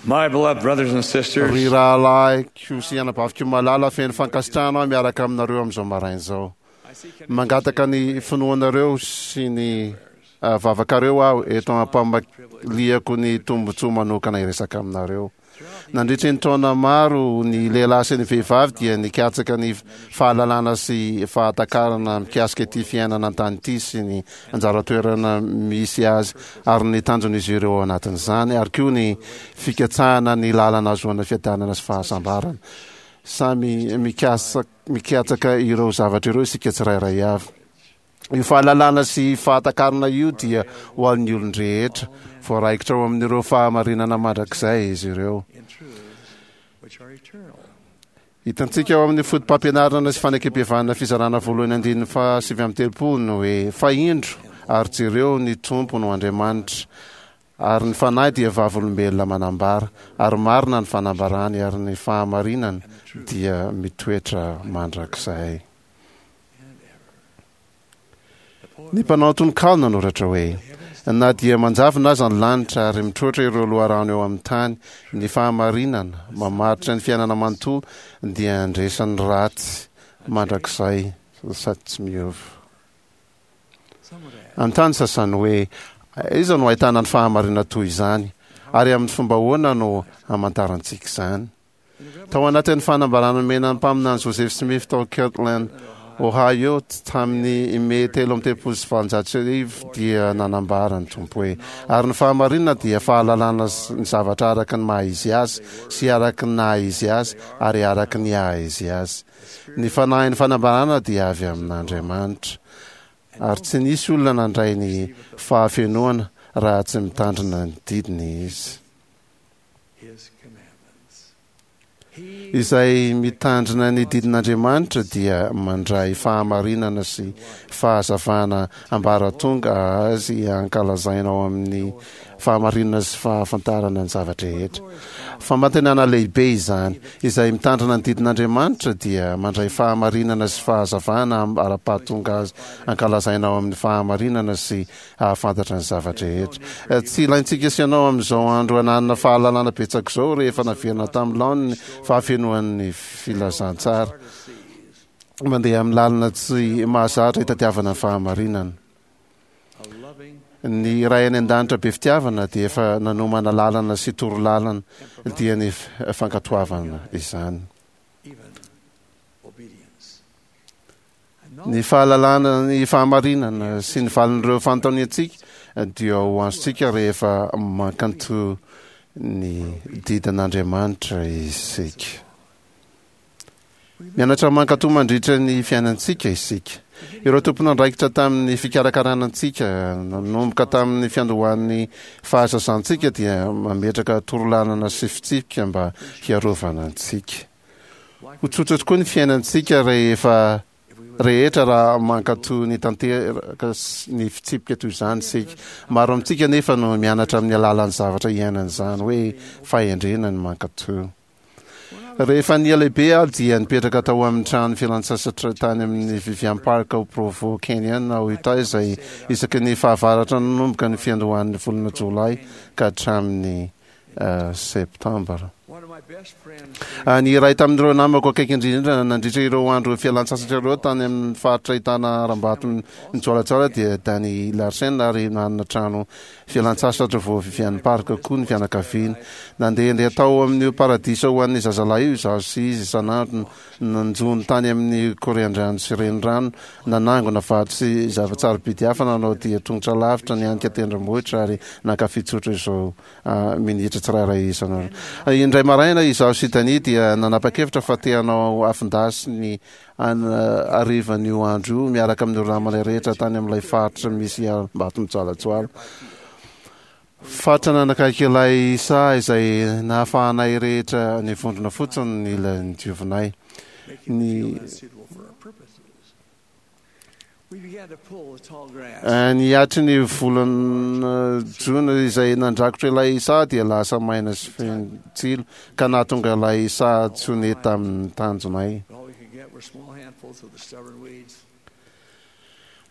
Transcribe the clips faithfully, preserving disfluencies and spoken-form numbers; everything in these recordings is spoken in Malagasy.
My beloved brothers and sisters, Ry rahalahiko sy anabaviko malala, feno fankasitrahana aho miaraka aminareo amin'izao maraina izao. Mangataka ny finoanareo sy ny ah, vavakareo aho eto am-pamaliako ny tombontsoa manokana hiresaka aminareo. Nandritry ny taona maro, ny lehilahy sy ny vehivavy dia nikatsaka ny fahalalana sy fahatakarana mikasika ity fiainana an-tany ity sy ny anjara toerana misy azy ary ny tanjon'izy ireo ao anatin'izany, ary koa ny fikatsahana ny lalana ahazoana fiadanana sy fahasambarana. Samy mikasa- mikatsaka ireo zavatra ireo isika tsirairay avy. Io fahalalana sy fahatakarana io dia ho an'ny olon-drehetra, voaraikitra ao amin'ireo fahamarinana mandrakizay izy ireo. in truths which are eternal. Hitantsika ao amin'ny foto-pampianarana sy fanekempihavanana fizarana voalohany andininy faha sivy amby telopolo no hoe: "Fa indro ary jereo, ny Tompo no Andriamanitra, ary ny Fanahy dia vavolombelona manambara, ary marina ny fanambarany, ary ny fahamarinana dia mitoetra mandrakizay." And ever. The poet Ny mpanao tononkalo nanoratra hoe: "Na dia manjavona aza ny lanitra ary mitroatra ireo loharano eo amin'ny tany, ny fahamarinana mamaritra ny fiainana manontolo dia handresy ny ratsy mandrakizay sady tsy miova." Some would ask, Anontany sasany hoe: "Iza no ahitana ny fahamarinana toy izany, ary amin'ny fomba ahoana no hamantarantsika izany?" Tao anatin'ny fanambarana nomena ny mpaminany Joseph Smith tao Kirtland, Ohio, tamin'ny Mey telo amby telopolo sy valonjato sy arivo dia nanambara ny Tompo hoe: "Ary ny fahamarinana dia fahalalana ny zavatra araka ny maha izy azy sy araka ny naha izy azy ary araka ny haha izy azy. Ny fanahin'ny fanambarana dia avy amin'Andriamanitra, ary tsy nisy olona nandray ny fahafenoana raha tsy mitandrina ny didiny izy." His commandments. He Izay mitandrina ny didin'Andriamanitra dia mandray fahamarinana sy fahazavana ambaratonga azy ankalazaina ao amin'ny fahamarinana sy fahafantarana ny zavatra rehetra. Fampanantenana lehibe izany. Izay mitandrina ny didin'Andriamanitra dia mandray fahamarinana sy fahazavana ara-pahatonga azy ankalazaina ao amin'ny fahamarinana sy ahafantatra ny zavatra rehetra. Tsy ilaintsika sy ianao amin'izao andro ananana fahalalana betsaka izao rehefa naverina tamin'ny laoniny fahafenoan'ny filazantsara. Mandeha amin'ny lalana tsy mahazatra hitadiavana ny fahamarinana. A loving Ny Ray any an-danitra be fitiavana dia efa nanomana lalana sy toro lalana, dia ny fankatoavana izany. Even obedience. Ny fahalalana ny fahamarinana sy ny valin'ireo fanontaniantsika dia ho azontsika rehefa mankato ny didin'Andriamanitra isika. Mianatra mankato mandritra ny fiainantsika isika. Ireo tompon'andraikitra tamin'ny fikarakarana antsika nanomboka tamin'ny fiandohan'ny fahazazantsika dia mametraka torolalana sy fitsipika mba hiarovana antsika. Ho tsotra tokoa ny fiainantsika rehefa rehetra raha mankato ny tanteraka ny fitsipika toy izany sika. Maro amintsika nefa no mianatra amin'ny alalan'ny zavatra iainana izany hoe fahendrena ny mankato. Rehefa nihalehibe aho dia nipetraka tao amin'ny trano fialan-tsasatra tany amin'ny Vivian Park ao Provo Canyon ao Utah, izay isaky ny fahavaratra nanomboka ny fiandohan'ny volana Jolay ka hatramin'ny septambra. One of my best friends Ny iray tamin'ireo namako akaiky indrindra nandritra ireo andro fialan-tsasatra ireo tany amin'ny faritra ahitana harambato mijoalajoala dia Danny Larsen, ary nanana trano fialan-tsasatra vo Vivian Park koa ny fianakaviana. Nandehandeha tao amin'io paradisa ho an'ny zazalahy io izaho sy izy isan'andro, nanjono tany amin'ny korian-drano sy renirano, nanangona vato sy zava-tsarobidy hafa, nanao dia tongotra lavitra, nianika tendrombohitra ary nankafy tsotra izao minitra tsirairay isan'andro. Indray maraina izaho sy Danny dia nanapa-kevitra fa te hanao afon-dasy ny harivan'io andro io miaraka amin'ireo namana rehetra tany amin'ilay faritra misy harambato mijoalajoala. Faritra nanakaiky ilay saha izay nahafahanay rehetra nivondrona fotsiny ny ila nodiovinay. Make you Ny feel unsuitable for our purposes. We began to pull the tall grass. Ny atry ny volana Jona izay nandrakotra ilay saha dia lasa maina sy feno tsilo ka nahatonga ilay saha tsy ho nety tamin'ny tanjonay. But all we could get were small handfuls of the stubborn weeds.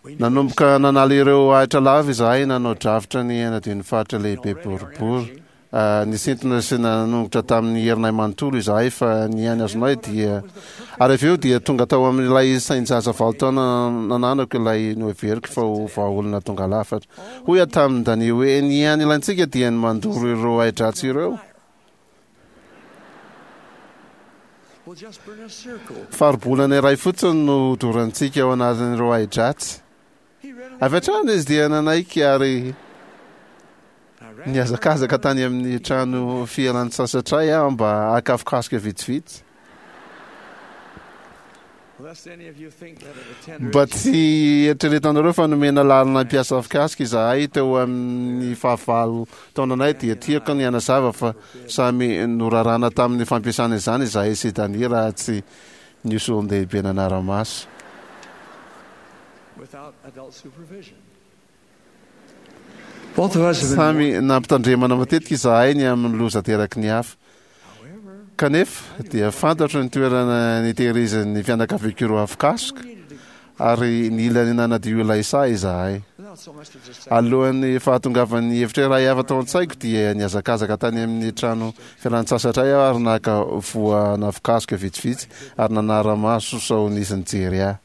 We knew Nanomboka nanala ireo ahitra lava izahay, nanao drafitra ny hanadio ny faritra lehibe boribory Nisintona sy nanongotra tamin'ny herinay manontolo izahay, fa ny ihany azonay dia ary avy eo dia tonga tao amin'ilay sain-jaza valo taona nananako ilay noheveriko fa ho vahaolana tonga lafatra. Hoy aho tamin'i Dani hoe ny ihany ilaintsika dia ny mandoro ireo ahi-dratsy ireo. Faribolana iray fotsiny no dorantsika ao anatin'ireo ahi-dratsy. Avy hatrany izy dia nanaiky ary nihazakazaka tany amin'ny trano fialan-tsasatray aho mba haka afokasika vitsivitsy. Mba tsy eritreretanareo fa nomena lalana hampiasa afokasika izahay teo amin'ny fahavalo taonanay, dia tiako ny hanazava fa samy norarana tamin'ny fampiasana izany izahay sy Dani raha tsy nisy olon-dehibe nanara-maso. Samy nampitandremana matetika izahay ny amin'ny loza ateraky ny hafa. Kanefa dia fantatro ny toerana nitehirizan'ny fianakaviako ireo afokasoka, ary nila ny nanadio ilay saha izahay. Alohan'ny fahatongavan'ny hevitra iray hafa tao an-tsaiko dia nihazakazaka tany amin'ny trano fialan-tsasatray aho ary naka voan'afokasoka vitsivitsy ary nanara-maso sao nisy nijery ahy.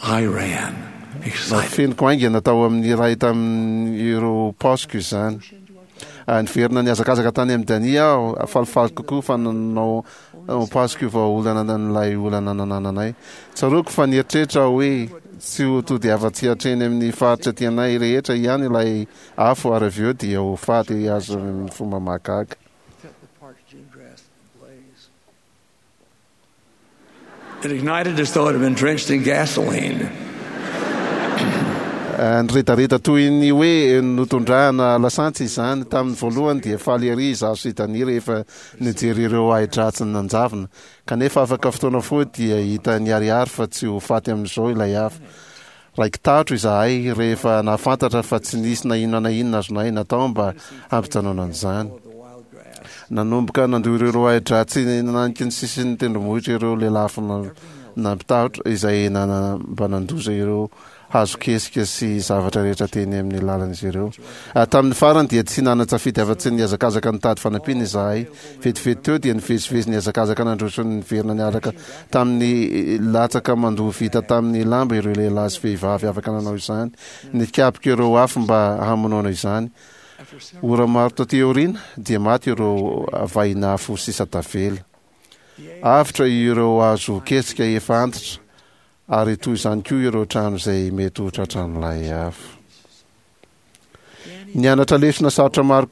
I ran, excited. Nafeniko haingana tao amin'ny iray tamin'ireo paosiko izany. Niverina nihazakazaka tany amin'i Dani aho, falifaly kokoa fa nanao paosiko vahaolana an'ilay olana nanananay. Tsaroako fa nieritreritra aho hoe tsy ho tody afa-tsy hatreny amin'ny faritra tianay rehetra ihany ilay afo ary avy eo dia ho faty azo amin'ny fomba mahagaga. It ignited as though it had been drenched in gasoline. Niredareda toy ny hoe notondrahana lasantsy izany. Tamin'ny voalohany dia faly ery izaho sy Dani rehefa nijery ireo ahi-dratsy nanjavona. Kanefa afaka fotoana fohy dia hita niharihary fa tsy ho faty amin'izao ilay afo. Raiki-tahotra izahay rehefa nahafantatra fa tsy nisy na inona na inona azonay natao mba hampijanonana an'izany. Nanomboka nandoa ireo ahi-dratsy nananika ny sisin'ny tendrombohitra ireo lelafo nampitahotra izay mba nandoza ireo hazo kesika sy zavatra rehetra teny amin'ny lalan'izy ireo. Tamin'ny farany dia tsy nanan-tsafidy afa-tsy ny nihazakazaka nitady fanampiana izahay. Vetivety teo dia nivezivezy nihazakazaka nandroso niverina niaraka tamin'ny latsaka mandoa vita tamin'ny lamba ireo lehilahy sy vehivavy afaka nanao izany, nikapoka ireo afo mba hamonoana izany. Ora maro taty aoriana dia maty ireo vahinafo sisa tavela. Avotra ireo hazo kesika efa antitra ary toy izany koa ireo trano izay mety ho tratran'ilay afo. Nianatra lesona sarotra maro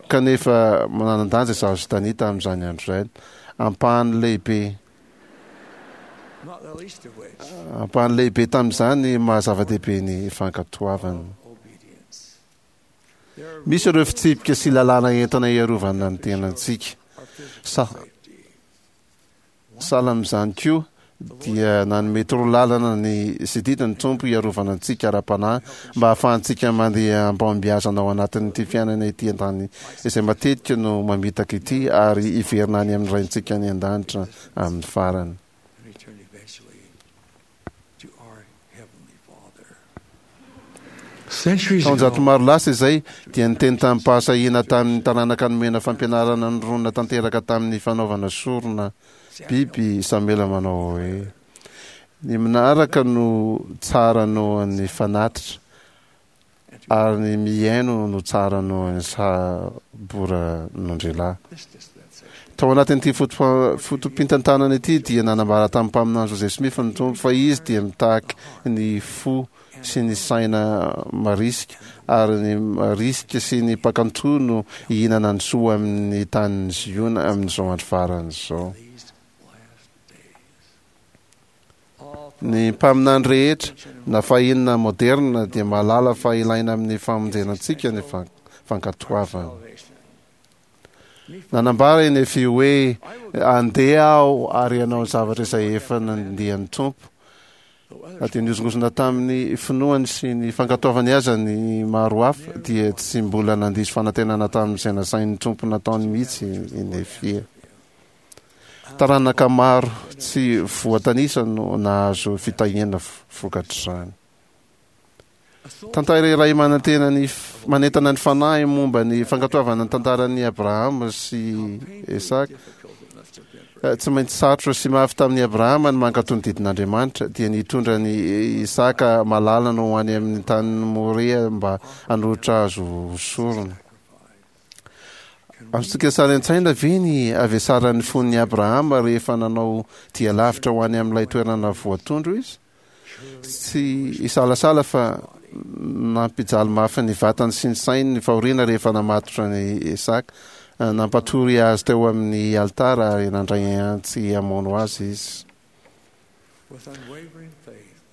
kanefa manan-danja izaho sy Dani tamin'izany andro izany. Ampahany lehibe ampahany lehibe tamin'izany maha zava-dehibe ny fankatoavana. Misy ireo fitsipika sy lalàna entina hiarovana ny tenantsika. Sa sahala amin'izany koa dia nanome torolalana ny sy didy ny Tompo hiarovana antsika ara-panahy mba hahafahantsika mandeha am-pahombiazana ao anatin'ity fiainana ity an-tany izay matetika no mamitaka ity ary hiverina any amin'ny Raintsika any an-danitra amin'ny farany. And return eventually to our Heavenly Father. Centuries Taonjato ago, maro lasa izay dia niteny tamim-pahasahiana tamin'ny taranaka nomena fampianarana nironona tanteraka tamin'ny fanaovana sorona biby Samoela manao hoe ny minaraka no tsara noho ny fanatitra ary ny mihaino no tsara noho ny saboran'ondrilahy. this dispensation, Tao anatin'ity foto- foto-pitantanana ity dia nanambara tamin'ny mpaminany Joseph Smith ny Tompo fa izy dia mitaky ny fo sy ny saina marisika ary ny marisika sy ny mpakanto no hihinana ny soa amin'ny tanin'ny Ziona amin'izao andro farany izao. these last days. All Ny mpaminany rehetra na fahiny na moderna dia mahalala fa ilaina amin'ny famonjena antsika ny fan- fankatoavana. salvation. Nanambara i Nefy hoe andeha aho ary hanao ny zavatra izay efa nandian'ny Tompo. Though others Na dia nihozongozona tamin'ny finoany sy ny fankatoavany aza ny maro hafa dia tsy mbola nandiso fanantenana tamin'izay nasain'ny Tompo nataony mihitsy i Nefia. Taranaka maro tsy voatanisa no nahazo fitahiana vokatr'izany. Tantara iray manantena ny manentana ny fanahy momba ny fankatoavana ny tantaran'i Abrahama sy Isaka. Tsy maintsy sarotra sy mafy tamin'i Abrahama ny mankatò ny didin'Andriamanitra, dia nitondra ny Isaka malalany ho any amin'ny tanin'i Moria mba hanolotra azy ho sorona. Azontsika sary an-tsaina ve ny havesaran'ny fon'i Abrahama rehefa nanao dia lavitra ho any amin'ilay toerana voatondro izy? Tsy hisalasala fa nampijaly mafy ny vatany sy ny sainy ny fahoriana rehefa namatotra an'i Isaka. Nampatory azy teo amin'ny alitara ary nandray antsy hamono azy izy.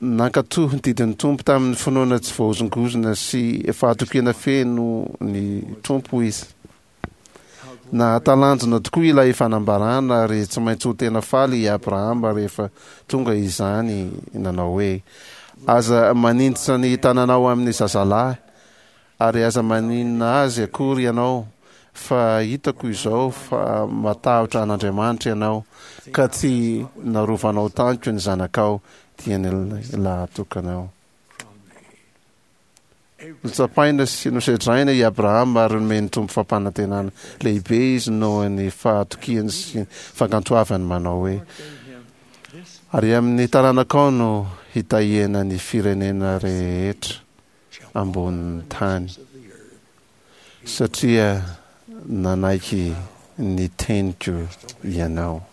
Nankatò ny didin'ny Tompo tamin'ny finoana tsy voahozongozona sy fahatokiana feno ny Tompo izy. Nahatalanjona tokoa ilay fanambarana ary tsy maintsy ho tena faly i Abrahama rehefa tonga izany nanao hoe: "Aza maninjitra ny tananao amin'ny zazalahy ary aza maninona azy akory ianao, fa hitako izao fa matahotra an'Andriamanitra ianao, ka tsy narovanao tamiko ny zanakao, dia ny lahatokanao." Notsapaina sy nosedraina i Abrahama ary nomen'ny Tompo fampanantenana lehibe izy noho ny fahatokiany sy fankantoavany manao hoe: "Ary amin'ny taranakao no hitahiana ny firenena rehetra ambonin'ny tany, satria nanaiky ny teniko ianao."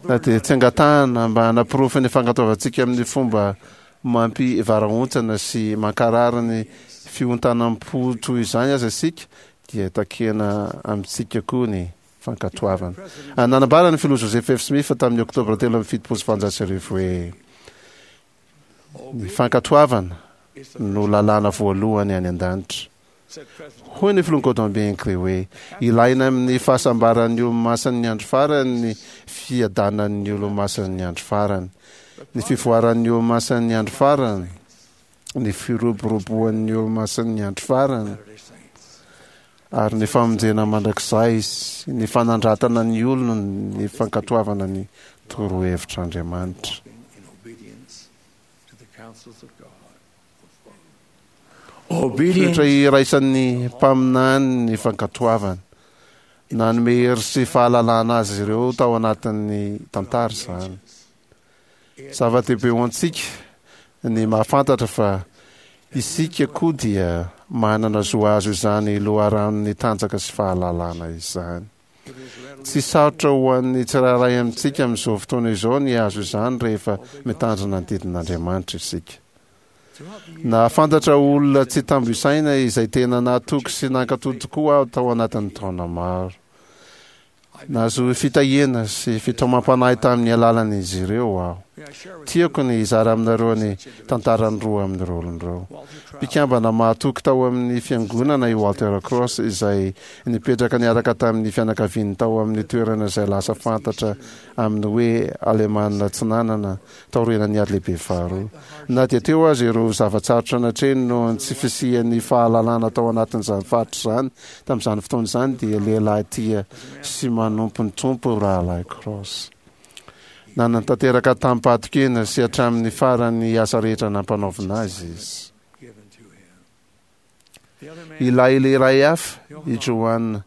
Na dia tsy angatahana mba hanaporofo ny fankatoavantsika amin'ny fomba mampivarahontsana sy mankarary ny fiontanam-po toy izany aza isika, dia takiana amintsika koa ny fankatoavana. Nanambara ny filoha Joseph F. Smith tamin'ny Oktobra telo amby fitopolo sy valonjato sy arivo hoe: "Ny fankatoavana no lalàna voalohany any an-danitra." Hoy ny filoha Gordon B. Hinckley hoe: "Ilaina amin'ny fahasambaran'ny olomasin'ny andro farany ny fiadanan'ny olomasin'ny andro farany, ny fivoaran'ny olomasin'ny andro farany, ny firoboroboan'ny olomasin'ny andro farany, ary ny famonjena mandrakizay sy ny fanandratana ny olona ny fankatoavana ny torohevitr'Andriamanitra." Toetra iraisan'ny mpaminany ny fankatoavana. Nanome hery sy fahalalana azy ireo tao anatin'ny tantara izany. Zava-dehibe ho antsika ny mahafantatra fa isika koa dia manana zo hahazo izany loharanon'ny tanjaka sy fahalalana izany. Tsy sarotra ho an'ny tsirairay amintsika amin'izao fotoana izao ny hahazo izany rehefa mitandrina ny didin'Andriamanitra isika. Nahafantatra olona tsy tambo isaina izay tena nahatoky sy nankatò tokoa aho tao anatin'ny taona maro. Nahazo fitahiana sy fitaomam-panahy tamin'ny alalan'izy ireo aho. Tiako ny hizara aminareo ny tantaran'ny roa amin'ireo olona ireo. Mpikambana mahatoky tao amin'ny fiangonana i Walter Cross, izay nipetraka niaraka tamin'ny fianakaviany tao amin'ny toerana izay lasa fantatra amin'ny hoe Alemana Atsinanana taorian'ny Ady Lehibe Faharoa. Na dia teo aza ireo zava-tsarotra natrehiny noho ny tsy fisian'ny fahalalana tao anatin'izany faritra izany tamin'izany fotoana izany, dia lehilahy tia sy manompo ny Tompo Rahalahy Cross. Nanatanteraka tamim-pahatokiana sy hatramin'ny farany ny asa rehetra nampanaovina azy izy. Ilay lehilahy hafa, i Johann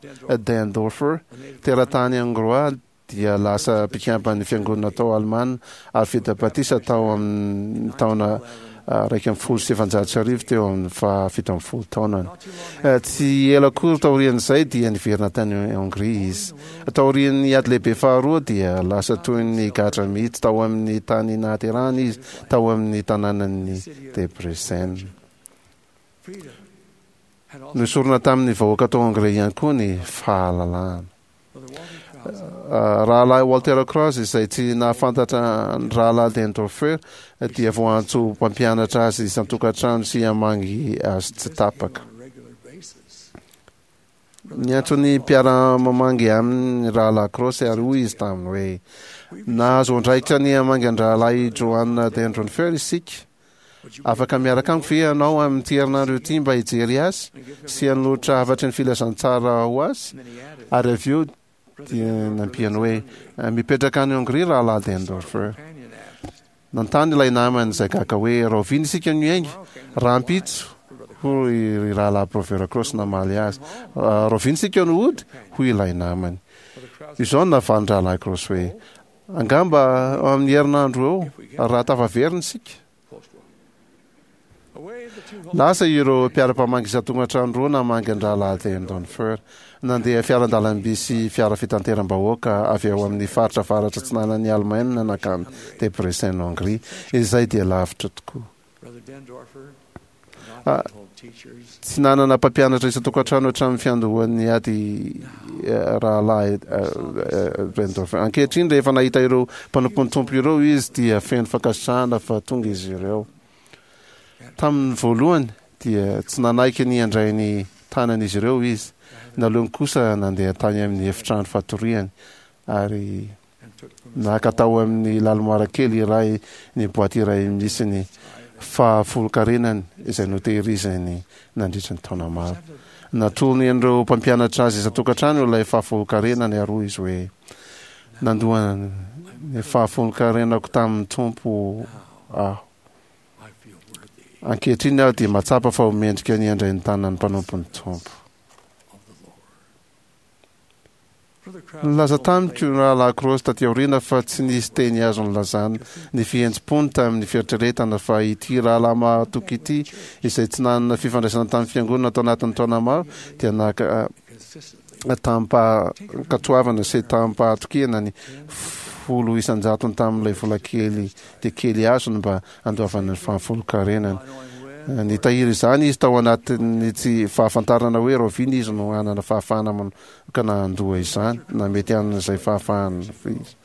Dendorfer, teratany Hongroà, dia lasa mpikamban'ny fiangonana tao Alemana ary vita batisa tao amin'ny taona iraika ambin'ny folo sy efajato sy arivo teo amin'ny fahafito ambin'ny folo taonany. Tsy ela akory taorian'izay dia niverina tany Hongria izy. Taorian'ny Ady Lehibe Faharoa dia lasa toy ny gadra mihitsy tao amin'ny tany nahaterahany izy, tao amin'ny tanànan'i Debrecen. Noesorina tamin'ny vahoaka tao Hongria ihany koa ny fahalalahana. Rahalahy Walter Krause, izay tsy nahafantatra ny Rahalahy Dendorfer, dia voaantso ho mpampianatra azy isan-tokantrano sy hamangy azy tsy tapaka. Niantso ny mpiara-mamangy aminy ny Rahalahy Krause ary hoy izy taminy hoe, Nahazo andraikitra ny hamangy an-dRahalahy Johann Dendorfer isika. Afaka miaraka amiko ve ianao amin'ity herinandro ity mba hijery azy sy hanolotra hafatry ny filazantsara ho azy? Ary avy eo dia nampiany hoe, Mipetraka any Hongria Rahalahy Dendorfer. Nanontany ilay namany izay gaga hoe, "Rahoviana isika no hiainga?" "Rahampitso," hoy Rahalahy Grover Cross namaly azy. "Rahoviana isika no hody?" hoy ilay namany. Izao no navalin-dRahalahy Cross hoe, "Angamba amin'ny herinandro eo, raha tafaverina isika." Lasa ireo mpiara-mpamangy isan-tokantrano roa namangy an-dRahalahy Deindorfer. Nandeha fiaran-dalamby sy fiara fitanteram-bahoaka avy ao amin'ny faritra avaratra atsinanan'i Alemaina nankany Debrecen, Hongria, izay dia lavitra tokoa. Tsy nanana mpampianatra isan-tokantrano hatramin'ny fiandohan'ny ady Rahalahy Deindorfer. Ankehitriny, rehefa nahita ireo mpanompon'ny Tompo ireo izy, dia feno fankasitrahana fa tonga izy ireo. Tamin'ny voalohany dia tsy nanaiky ny handray ny tanan'izy ireo izy. Naleony kosa nandeha tany amin'ny efitrano fatoriany ary naka tao amin'ny lalimoara kely iray ny boaty iray misy ny fahafolonkarenany izay notehiriziny nandritra ny taona maro. Natolony an'ireo mpampianatra azy isan-tokantrano ilay fahafolonkarenany ary hoy izy hoe, "Nandoa ny fahafolonkarenako tamin'ny Tompo aho. Ankehitriny aho dia mahatsapa fa ho mendrika ny handray ny tanan'ny mpanompon'ny Tompo." Nilaza tamiko ny Rahalahy Cross taty aoriana fa tsy nisy teny azo nilazana ny fihetseham-pony tamin'ny fieritreretana fa ity rahalahy mahatoky ity, izay tsy nanana fifandraisana tamin'ny fiangonana tao anatin'ny taona maro, dia naka tamim-pankatoavana sy tamim-pahatokiana ny folo isan-jatony tamin'ilay vola kely dia kely azony mba handoavana ny fahafolonkarenany. Nitahiry izany izy tao anatin'ny tsy fahafantarana hoe rahoviana izy no hanana fahafahana manokana handoa izany, na mety hanana izay fahafahana izy.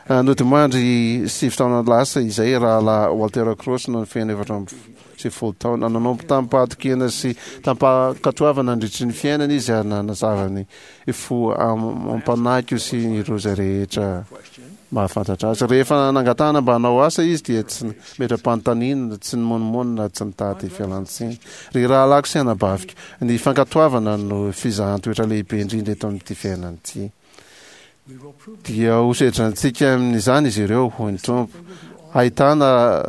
Nodimandry sivy taona lasa izay Rahalahy Walter Cross no nifeno efatra amby sivifolo taona. Nanompo tamim-pahatokiana sy tamim-pankatoavana nandritry ny fiainany izy ary nanazava ny fo amam-panahiko sy ireo izay rehetra mahafantatra azy. Rehefa nangatahana mba hanao asa izy dia tsy nametra-panontaniana, tsy nimonomonona, tsy nitady fialan-tsiny. Ry rahalahiko sy anabaviko, ny fankatoavana no fizahan-toetra lehibe indrindra eto amin'ity fiainana ity. Dia ho sedrantsika amin'izany izy ireo, hoy ny Tompo. Ahitana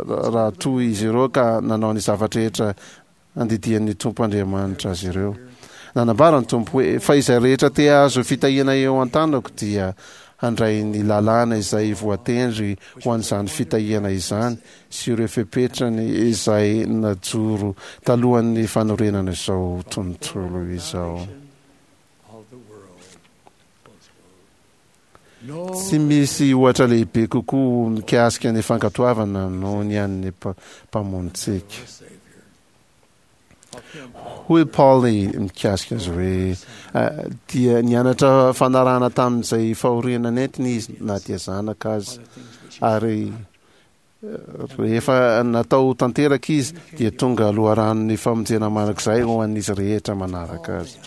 raha toa izy ireo ka nanao ny zavatra rehetra nandidian'ny Tompo Andriamanitra azy ireo. Nanambara ny Tompo hoe, "Fa izay rehetra te hahazo fitahiana eo an-tanako dia handray ny lalàna izay voatendry ho an'izany fitahiana izany sy ireo fepetrany izay najoro talohan'ny fanorenana izao tontolo izao." Tsy misy ohatra lehibe kokoa mikasika ny fankatoavana noho ny an'ny Mpamonjintsika. Hoy Paoly mikasika azy hoe, dia nianatra fanarahana tamin'izay fahoriana nentiny izy na dia zanaka aza, ary rehefa natao tanteraka izy dia tonga loharanon'ny famonjena mandrakizay ho an'izy rehetra manaraka azy.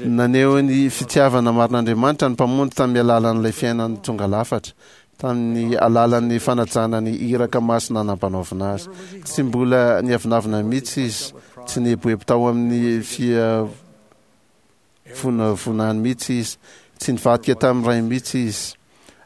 Naneho ny fitiavana marin'Andriamanitra ny Mpamonjy tamin'ny alalan'ilay fiainany tonga lafatra, tamin'ny alalan'ny fanajana ny iraka masina nampanaovina azy. Tsy mbola niavonavona mihitsy izy, tsy nieboebo tao amin'ny fiavonavonany mihitsy izy, tsy nivadika tamin'ny Ray mihitsy izy,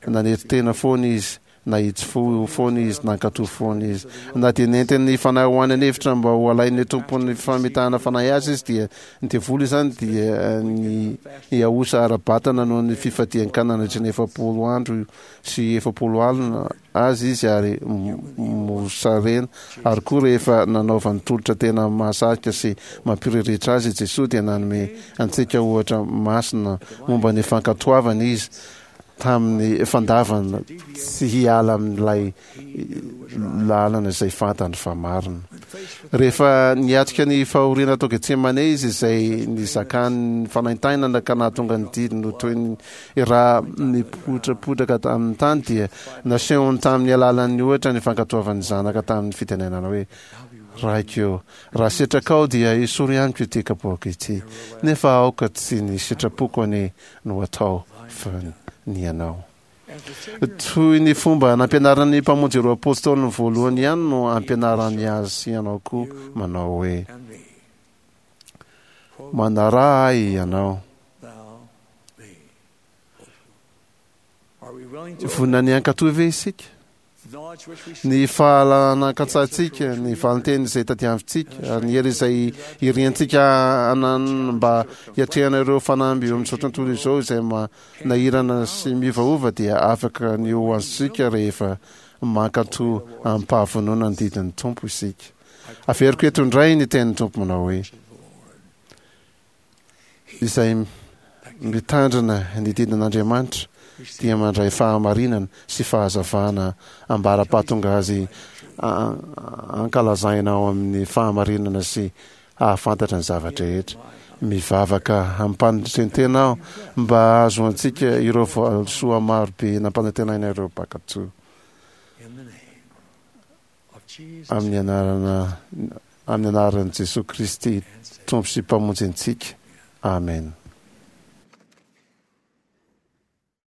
nanetry tena foana izy, nahitsy fo foana izy, nankatò foana izy. Na dia nentin'ny fanahy ho any an'efitra mba ho alain'ny tompon'ny famitahana fanahy azy izy, dia ny devoly izany dia ny nihaosa ara-batana noho ny fifadian-kanina nandritra ny efapolo andro sy efapolo alina azy izy ary mosarena. Ary koa rehefa nanaovany tolotra tena mahasarika sy mampiriritra azy i Jesoa, dia nanome antsika ohatra masina momba ny fankatoavana izy tamin'ny fandavana tsy hiala amin'ilay lalana izay fantany fa marina. Rehefa niatrika ny fahoriana tao Getsemane izy, izay nizakany fanaintainana ka nahatonga ny didiny ho toy ny ra nipotrapotraka tamin'ny tany, dia nasehony tamin'ny alalan'ny ohatra ny fankatoavan'ny Zanaka tamin'ny fitenenana hoe, Raiko ô, raha sitrakao dia esory amiko ity kapoaka ity, nefa aoka tsy ny sitrapoko anie no atao fa ny anao. Toy ny fomba nampianaran'ny Mpamonjy ireo apôstôliny voalohany ihany no ampianarany azy sy ianao koa, manao hoe, Manaraha ahy ianao. Vonona ny hankatò ve isika? Ny fahalalana katsahintsika, ny valinteny izay tadiavintsika, ary ny hery izay iriantsika ananana mba hiatrehana ireo fanamby eo amin'izao tontolo izao izay manahirana sy miovaova dia afaka ny ho azontsika rehefa mankatò amim-pahavonona ny didin'ny Tompo isika. Averiko eto indray ny tenin'ny Tompo manao hoe: izay mitandrina ny didin'Andriamanitra dia mandray fahamarinana sy fahazavana ambara-pahatonga azy ankalazaina ao amin'ny fahamarinana sy hahafantatra ny zava-drehetra. Mivavaka amim-panetren-tena aho mba hahazoantsika ireo valisoa maro be nampanantenaina ireo mpankatò. Amin'ny anarana amin'ny anaran'i Jesoa Kristy Tompo sy Mpamonjy antsika. Amen.